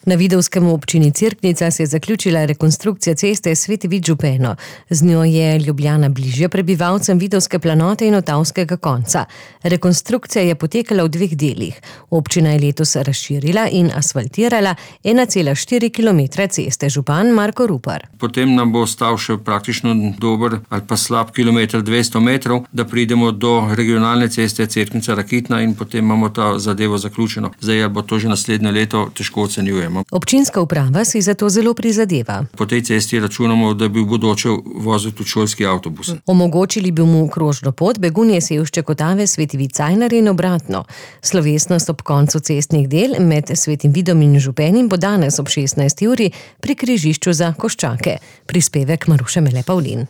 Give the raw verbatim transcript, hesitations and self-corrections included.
Na Vidovskem v občini Cerknica se je zaključila rekonstrukcija ceste Sveti Vid-Župeno. Z njo je Ljubljana bližje prebivalcem Vidovske planote in Otavskega konca. Rekonstrukcija je potekala v dveh delih. Občina je letos razširila in asfaltirala ena cela štiri kilometra ceste. Župan Marko Rupar. Potem nam bo ostal še praktično dober ali pa slab kilometer dvesto metrov, da pridemo do regionalne ceste Cerknica-Rakitna in potem imamo ta zadevo zaključeno. Zdaj bo to že naslednje leto, težko ocenjujemo. Občinska uprava si zato zelo prizadeva. Po tej cesti računamo, da bi v bodoče vozil tudi šolski avtobus. Omogočili bi mu krožno pot Begunje, Sevšček, Otave, Sveti Vid-Cajnar in obratno. Slovesnost ob koncu cestnih del med Svetim Vidom in Župenim bo danes ob šestnajsti uri pri križišču za Koščake. Prispevek Maruše Mele Pavlin.